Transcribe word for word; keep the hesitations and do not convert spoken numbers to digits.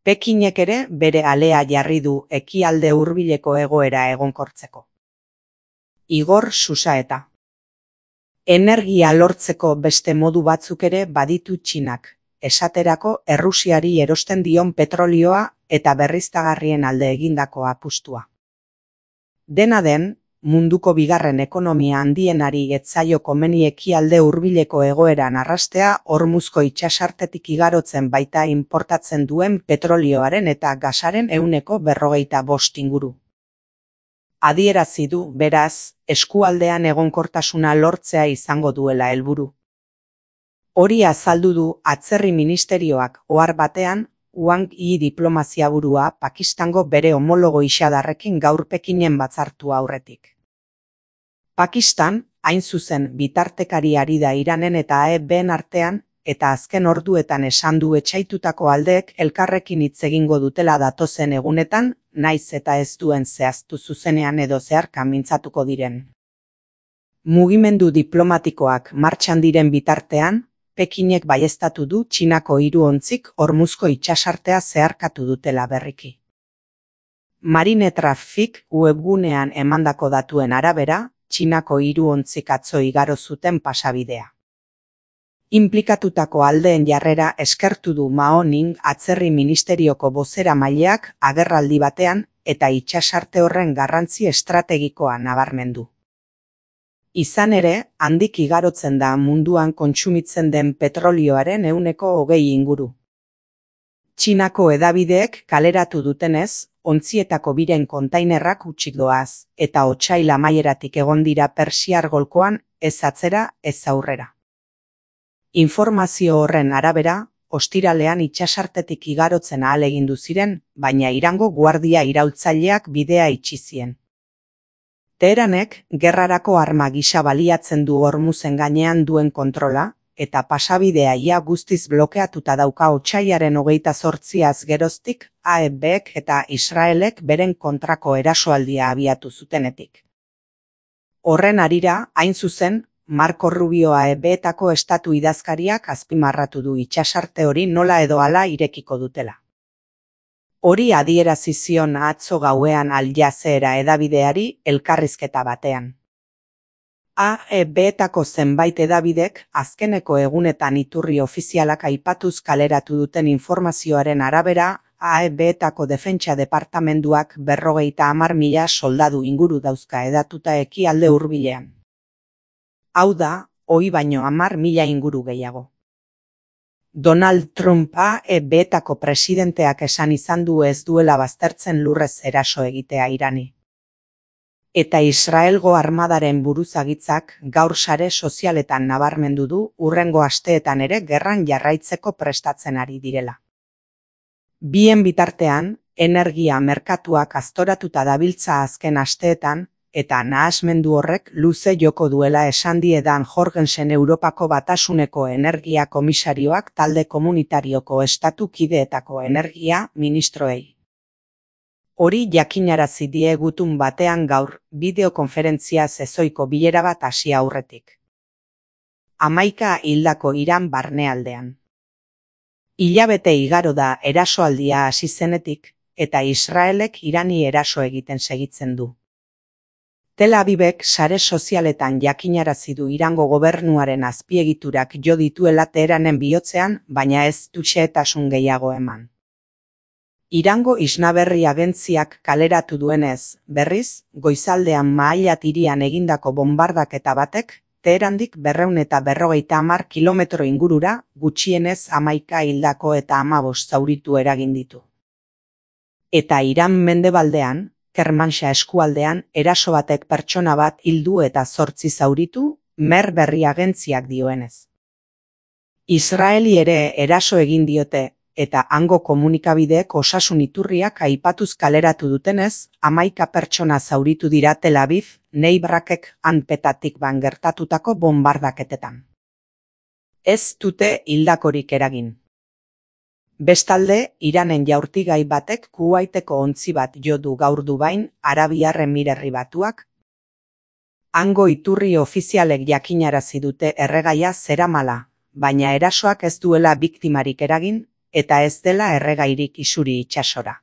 Pekinek ere bere alea jarri du ekialde hurbileko egoera egonkortzeko. Igor Susaeta. Energia lortzeko beste modu batzuk ere baditu Txinak, esaterako Errusiari erosten dion petrolioa eta berriztagarrien alde egindako apustua. Dena den, munduko bigarren ekonomia handienari ez zaio komeni ekialde hurbileko egoeran arrastea Hormuzko itsasartetik igarotzen baita inportatzen duen petrolioaren eta gasaren ehuneko berrogeita bost inguru. Adierazi du, beraz, eskualdean egonkortasuna lortzea izango duela helburu. Hori azaldu du Atzerri Ministerioak ohar batean, Wang Yi diplomaziaburua Pakistango bere homologo Ixadarrekin gaur Pekinen batzartu aurretik. Pakistan, hain zuzen bitartekari ari da Iranen eta A E B-en artean, eta azken orduetan esan du etsaitutako aldeek elkarrekin hitz egingo dutela datozen egunetan, naiz eta ez duen zehaztu zuzenean edo zeharka mintzatuko diren. Mugimendu diplomatikoak martxan diren bitartean, Pekinek baieztatu du Txinako hiru ontzik Hormuzko itsasartea zeharkatu dutela berriki. Marine Traffic webgunean emandako datuen arabera, Txinako hiru ontzik atzo igaro zuten pasabidea. Inplikatutako aldeen jarrera eskertu du Mao Ning Atzerri Ministerioko bozeramaileak agerraldi batean eta itsasarte horren garrantzi estrategikoa nabarmendu. Izan ere, handik igarotzen da munduan kontsumitzen den petrolioaren ehuneko hogei inguru. Txinako hedabideek kaleratu dutenez, ontzietako biren kontainerrak hutsik doaz, eta otsail amaieratik egon dira Persiar golkoan ez atzera ez aurrera. Informazio horren arabera, ostiralean itsasartetik igarotzen ahalegindu ziren, baina Irango guardia iraultzaileak bidea itxi zien. Teheranek gerrarako arma gisa baliatzen du Hormuzen gainean duen kontrola, eta pasabidea ia guztiz blokeatuta dauka otsailaren hogeita zortziaz geroztik A E B-ek eta Israelek beren kontrako erasoaldia abiatu zutenetik. Horren harira, hain zuzen, Marco Rubio A E B-etako estatu idazkariak azpimarratu du itsasarte hori nola edo hala irekiko dutela. Hori adierazi zion atzo gauean Al Jazeera hedabideari elkarrizketa batean. A E B-etako zenbait hedabidek azkeneko egunetan iturri ofizialak aipatuz kaleratu duten informazioaren arabera, A E B-etako defentsa departamenduak berrogeita hamar mila soldadu inguru dauzka hedatuta ekialde hurbilean. Hau da, ohi baino hamar mila inguru gehiago. Donald Trump A E B-etako presidenteak esan izan du ez duela baztertzen lurrez eraso egitea Irani. Eta Israelgo armadaren buruzagitzak gaur sare sozialetan nabarmendu du hurrengo asteetan ere gerran jarraitzeko prestatzen ari direla. Bien bitartean, energia merkatuak aztoratuta dabiltza azken asteetan, eta nahasmendu horrek luze joko duela esan die Dan Jorgensen Europako Batasuneko Energia Komisarioak talde komunitarioko estatu kideetako energia ministroei. Hori jakinarazi die gutun batean gaur, bideokonferentzia ezohiko bilera bat hasi aurretik. Hamaika hildako Iran barnealdean. Hilabete igaro da erasoaldia hasi zenetik, eta Israelek Irani eraso egiten segitzen du. Tel Avivek sare sozialetan jakinarazi du Irango gobernuaren azpiegiturak jo dituela Teheranen bihotzean, baina ez du xehetasun gehiago eman. Irango Isnaberri agentziak kaleratu duenez, berriz, goizaldean Maalat hirian egindako bombardaketa batek, Teherandik berrehun eta berrogeita hamar kilometro ingurura, gutxienez hamaika hildako eta hamabost zauritu eragin ditu. Eta Iran mendebaldean, Kermanshah eskualdean, eraso batek pertsona bat hildu eta zortzi zauritu, Mer berri agentziak dioenez. Israeli ere eraso egin diote, eta hango komunikabideek osasun iturriak aipatuz kaleratu dutenez, hamaika pertsona zauritu dira Tel Aviv, Neibrakek hanpetatik ban gertatutako bombardaketetan. Ez dute hildakorik eragin. Bestalde, Iranen jaurtigai batek Kuwaiteko ontzi bat jo du gaur Dubain, Arabiar Emirerri Batuak. Hango iturri ofizialek jakinarazi dute erregaia zeramala, baina erasoak ez duela biktimarik eragin, eta ez dela erregairik isuri itsasora.